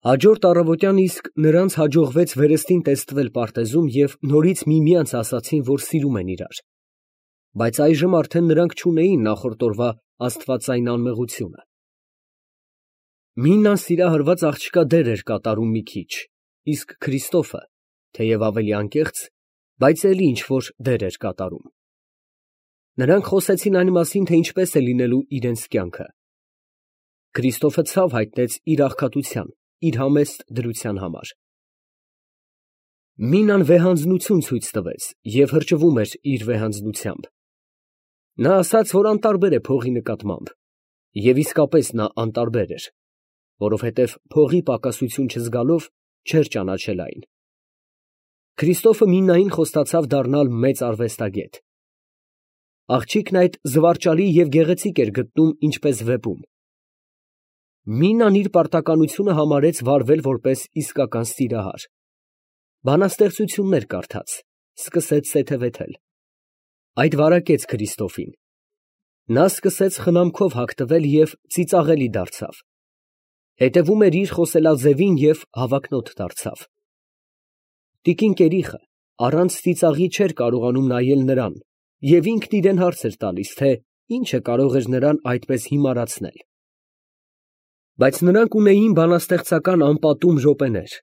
Հաջորդ առավոտյան իսկ նրանց հաջողվեց վերստին տեստվել պարտեզում և նորից միմյանց ասացին, որ սիրում են իրար, բայց այժմ արդեն նրանք չունեին նախորդ օրվա աստվածային անմեղությունը։ Մինան սիրահարված աղջկա դեր էր կատարում մի քիչ, իսկ Քրիստոֆը, թեև ավելի անկեղծ, բայց էլի ինչ-որ դեր էր կատարում։ Նրանք խոսեցին այն մասին, թե ինչպես է լինելու իրենց կյանքը։ Քրիստոֆը ցավ հայտնեց իր աղքատության, իր համեստ դրության համար։ Մինան վեհանձնություն ցույց տվեց և հրճվում էր իր վեհանձնությամբ։ Նա ասաց, որ անտարբեր է փողի նկատմամբ, և իսկապես նա անտարբեր էր, որովհետև փողի պակասություն չզգալով չէր ճանաչել այն։ Քրիստոֆը Մինային խոստացավ դառնալ մեծ արվեստագետ։ Աղջիկն այդ զվարճալի և գեղեցիկ էր գտնում ինչպես վեպում։ Մինան իր պարտականությունը համարեց վարվել որպես իսկական սիրահար։ Բանաստեղծություններ կարդաց, սկսեց սեթևեթել։ Այդ վարակեց Քրիստոֆին։ Նա սկսեց խնամքով հագտվել և ծիծաղելի դարձավ։ Հետևում էր իր խոսելաձևին և հավակնոտ դարձավ։ Տիկին Կերիխը առանց ծիծաղի չէր կարողանում նայել նրան և ինքն իրան հարց էր տալիս, թե ինչը կարող էր նրան այդպես հիմարացնել։ Բայց նրանք ունեին բանաստեղծական անպատում րոպեներ։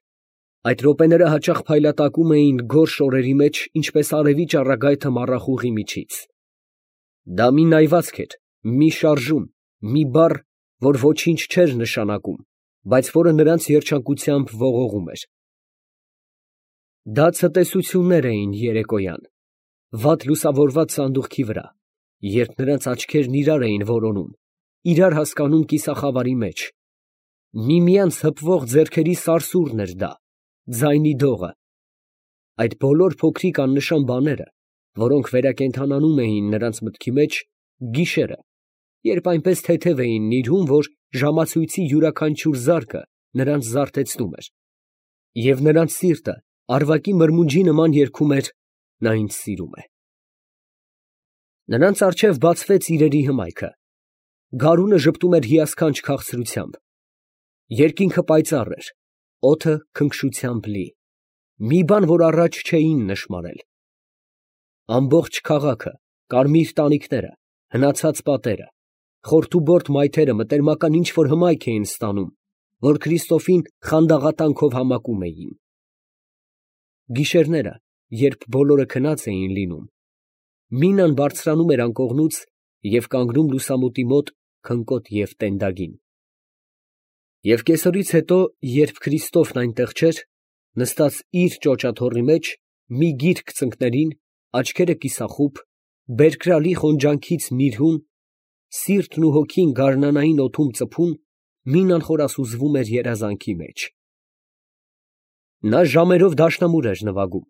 Այդ րոպեները հաճախ փայլատակում էին գորշ օրերի մեջ, ինչպես արևի ճառագայթը մառախուղի միջից։ Դա մի նայվածք էր, մի շարժում, մի բառ, որ ոչինչ չէր նշանակում, բայց որը նրանց երջանկությամբ ողողում էր։ Դա ցտեսություններ էին երեկոյան, վատ լուսավորված սանդուղքի վրա, երբ նրանց աչքերն իրար էին որոնում, իրար հասկանում կիսախավարի մեջ։ Միմյանց հպվող ձեռքերի սարսուռն էր դա, ձայնի դողը։ Այդ բոլոր փոքրիկ աննշան բաները, որոնք վերակենդանանում էին նրանց մտքի մեջ գիշերը, երբ այնպես թեթև էին նիրհում, որ ժամացույցի յուրաքանչյուր զարկը նրանց զարթեցնում էր, և նրանց սիրտը արվակի մրմունջի նման երգում էր «Նա ինձ սիրում է»։ Նրանց առջև բացվեց իրերի հմայքը։ Գարունը ժպտում էր հիասքանչ քաղցրությամբ։ Երկինքը պայծառ էր, օդը քնքշությամբ լի, մի բան, որ առաջ չէին նշմարել։ Ամբողջ քաղաքը, կարմիր տանիքները, հնացած պատերը, խորթուբորդ մայթերը մտերմական ինչ֊որ հմայք էին ստանում, որ Քրիստոֆին խանդաղատանքով համակում էին։ Գիշերները, երբ բոլորը քնած էին լինում, Մինան բարձրանում էր անկողնուց և կանգնում լուսամուտի մոտ քնկոտ և տենդագին։ Եվ կեսօրից հետո, երբ Քրիստոֆն այնտեղ չէր, նստած իր ճոճաթոռի մեջ, մի գիրք ծնկներին, աչքերը կիսախուբ, բերկրալի խոնջանքից նիրհում, սիրտն ու հոգին գարնանային օդում ծփում, Մինան խորասուզվում էր երազանքի մեջ։ Նա ժամերով դաշնամուր էր նվագում,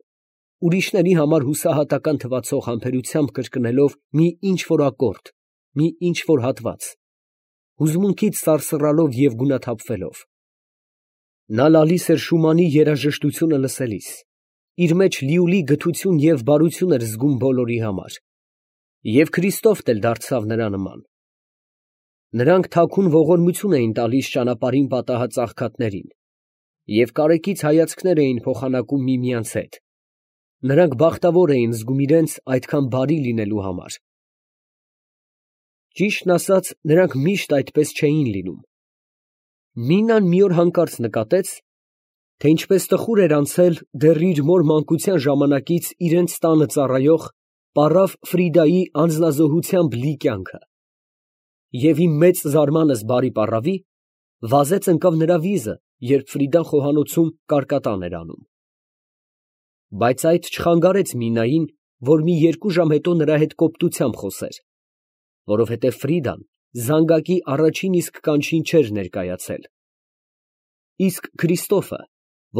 ուրիշների համար հուսահատական թվացող համբերությամբ կրկնելով մի ինչ֊որ ակորդ, մի ինչ֊որ հատված, հուզմունքից սարսռալով և գունաթափվելով։ Նա լալիս էր Շումանի երաժշտությունը լսելիս, իր մեջ լիուլի գթություն և բարություն էր զգում բոլորի համար, և Քրիստոֆն էլ դարձավ նրա նման։ Նրանք թաքուն ողորմություն էին տալիս ճանապարհին պատահած աղքատներին և կարեկից հայացքներ էին փոխանակում միմյանց հետ։ Նրանք բախտավոր էին զգում իրենց այդքան բարի լինելու համար։ Ճիշտն ասած, նրանք միշտ այդպես չէին լինում։ Մինան մի օր հանկարծ նկատեց, թե ինչպես տխուր էր անցել դեռ իր մոր մանկության ժամանակից իրենց տանը ծառայող պառավ Ֆրիդայի անձնազոհությամբ լի կյանքը, և ի մեծ զարմանս բարի պառավի, վազեց ընկավ նրա վիզը, երբ Ֆրիդան խոհանոցում կարկատան էր անում։ Բայց այդ չխանգարեց Մինային, որ մի 2 ժամ հետո նրա հետ կոպտությամբ խոսեր, որովհետև Ֆրիդան զանգակի առաջին իսկ կանչին չէր ներկայացել։ Իսկ Քրիստոֆը,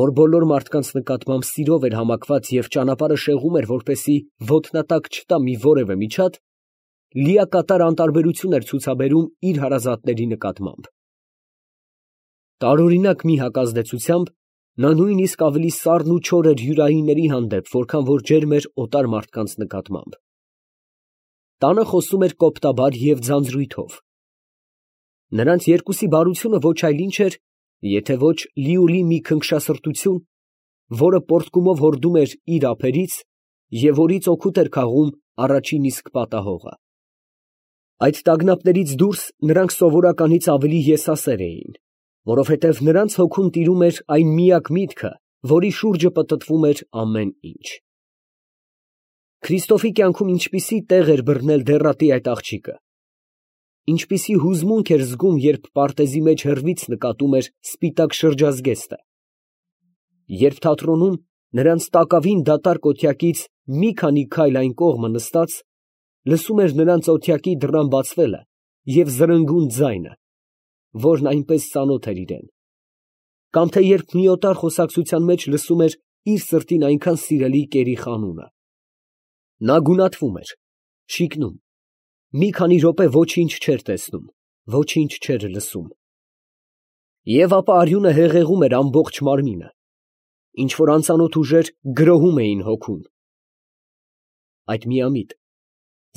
որ բոլոր մարդկանց նկատմամբ սիրով էր համակված և ճանապարհը շեղում էր, որպեսզի ոտնատակ չտա մի որևէ միջատ, լիակատար անտարբերություն էր ցուցաբերում իր հարազատների նկատմամբ։ Տարօրինակ մի հակազդեցությամբ նա նույնիսկ ավելի սառն ու չոր էր հյուրայինների հանդեպ, որքան որ ջերմ էր օտար մարդկանց նկատմամբ։ Տանը խոսում էր կոպտաբար և ձանձրույթով։ Նրանց երկուսի բարությունը ոչ այլ ինչ էր, եթե ոչ լիուլի մի քնքշասրտություն, որը պոռթկումով հորդում էր իր ափերից և որից օգուտ էր քաղում առաջին իսկ պատահողը։ Այդ տագնապներից դուրս նրանք սովորականից ավելի եսասեր էին, որովհետև նրանց հոգում տիրում էր այն միակ միտքը, որի շուրջը պտտվում էր ամեն ինչ։ Քրիստոֆի կյանքում ինչպիսի տեղ էր բռնել դեռատի այդ աղջիկը, ինչպիսի հուզմունք էր զգում, երբ պարտեզի մեջ հեռվից նկատում էր սպիտակ շրջազգեստը, երբ թատրոնում նրանց տակավին դատարկ օթյակից մի քանի քայլ այն կողմը նստած, լսում էր նրանց օթյակի դռան բացվելը և զրնգուն ձայնը, որն այնպես ծանոթ էր իրան, կամ թե երբ մի օտար խոսակցության մեջ լսում էր իր սրտին այնքան սիրելի կերի խանունը։ Նա գունատվում էր, շիկնում, մի քանի րոպե ոչինչ չէր տեսնում, ոչինչ չէր լսում։ Եվ ապա արյունը հեղեղում էր ամբողջ մարմինը, ինչ որ անծանոթ ուժեր գրոհում էին հոգուն։ Այդ միամիտ,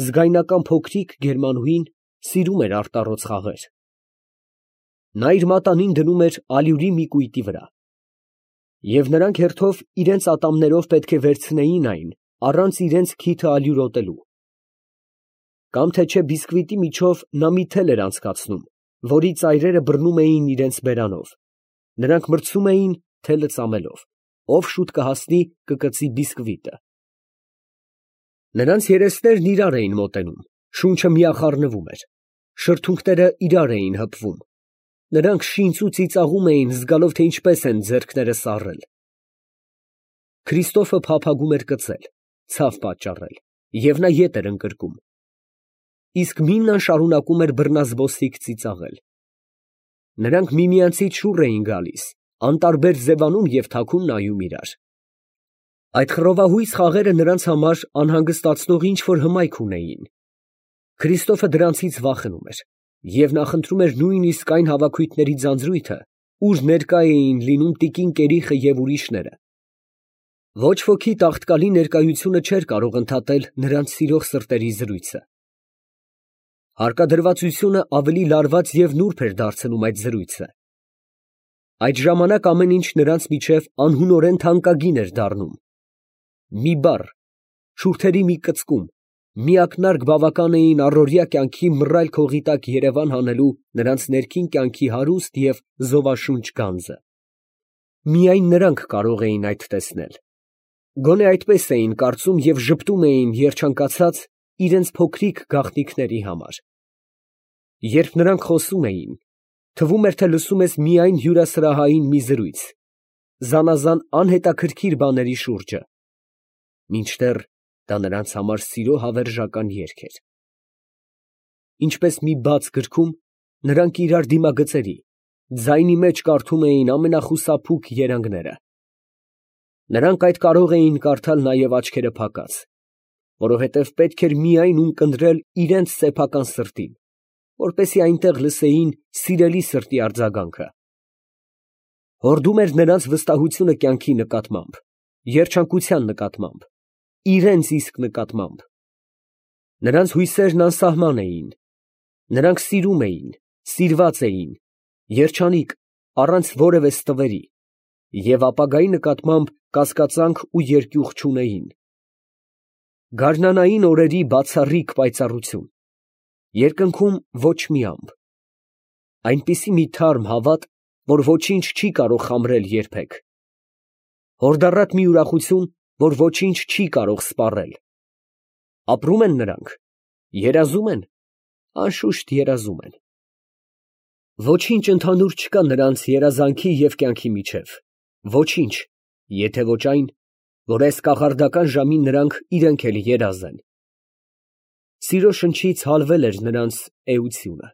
զգայնական փոքրիկ գերմանուհին սիրում էր արտառոց խաղեր։ Նա իր մատանին դնում էր ալյուրի մի կույտի վրա, և նրանք հերթով իրենց ատամներով պետք է վերցնեին այն, առանց իրենց քիթը ալյուրոտելու։ Կամ թե չէ բիսկվիտի միջով նա մի թել էր անցկացնում, որի ծայրերը բռնում էին իրենց բերանով, նրանք մրցում էին թելը ծամելով, ով շուտ կհասնի կկծի բիսկվիտը։ Նրանց երեսներն իրար էին մոտենում, շունչը միախառնվում էր, շրթունքները իրար էին հպվում, նրանք շինծ ու ծիծաղում էին, զգալով, թե ինչպես են ձեռքները սառել։ Քրիստոֆը փափագում էր կծել, ցավ պատճառել, և նա ետ էր ընկրկում, իսկ Միմնան շարունակում էր բռնազբոսիկ ծիծաղել։ Նրանք միմյանցից շուռ էին գալիս, անտարբեր ձևանում և թաքուն նայում իրար։ Այդ խռովահույս խաղերը նրանց համար անհանգստացնող ինչ֊որ հմայք ունեին։ Քրիստոֆը դրանցից վախենում էր և նախընտրում էր նույնիսկ այն հավաքույթների ձանձրույթը, ուր ներկա էին լինում տիկին Կերիխը և ուրիշները։ Ոչ ոքի տաղտկալի ներկայությունը չէր կարող ընդհատել նրանց սիրող սրտերի զրույցը։ Հարկադրվածությունը ավելի լարված և նուրբ էր դարձնում այդ զրույցը։ Այդ ժամանակ ամեն ինչ նրանց միջև անհունորեն թանկագին էր դառնում։ Մի բառ, շուրթերի մի կծկում, մի ակնարկ բավական էին առօրյա կյանքի մռայլ քողի տակ երևան հանելու նրանց ներքին կյանքի հարուստ և զովաշունչ գանձը։ Միայն նրանք կարող էին այդ տեսնել։ Գոնե այդպես էին կարծում և ժպտում էին երջանկացած իրենց փոքրիկ գաղտնիքների համար։ Երբ նրանք խոսում էին, թվում էր, թե լսում ես միայն հյուրասրահային մի զրույց, զանազան անհետաքրքիր բաների շուրջը, մինչդեռ դա նրանց համար սիրո հավերժական երգ էր։ Ինչպես մի բաց գրքում, նրանք իրար դիմագծերի, ձայնի մեջ կարդում էին ամենախուսափուկ երանգները։ Նրանք այդ կարող էին կարդալ նաև աչքերը փակած, որովհետև պետք էր միայն ունկնդրել իրենց սեփական սրտին, որպեսզի այնտեղ լսեին սիրելի սրտի արձագանքը։ Հորդում էր նրանց վստահությունը կյանքի նկատմամբ, երջանկության նկատմամբ, իրենց իսկ նկատմամբ։ Նրանց հույսերն անսահման էին, նրանք սիրում էին, սիրված էին, երջանիկ, առանց որևէ ստվերի, և ապագայի նկատմամբ կասկածանք ու երկյուղ չունեին։ Գարնանային օրերի բացառիկ պայծառություն, երկնքում ոչ մի ամպ, այնպիսի մի թարմ հավատ, որ ոչինչ չի կարող խամրել երբեք, հորդառատ մի ուրախություն, որ ոչինչ չի կարող սպառել։ Ապրում են նրանք, երազում են, անշուշտ երազում են։ Ոչինչ ընդհանուր չկա նրանց երազանքի և կյանքի միջև, ոչինչ, եթե ոչ այն, որ այս կախարդական ժամին նրանք իրենք էլ երազ են։ Սիրո շնչից հալվել էր նրանց էությունը։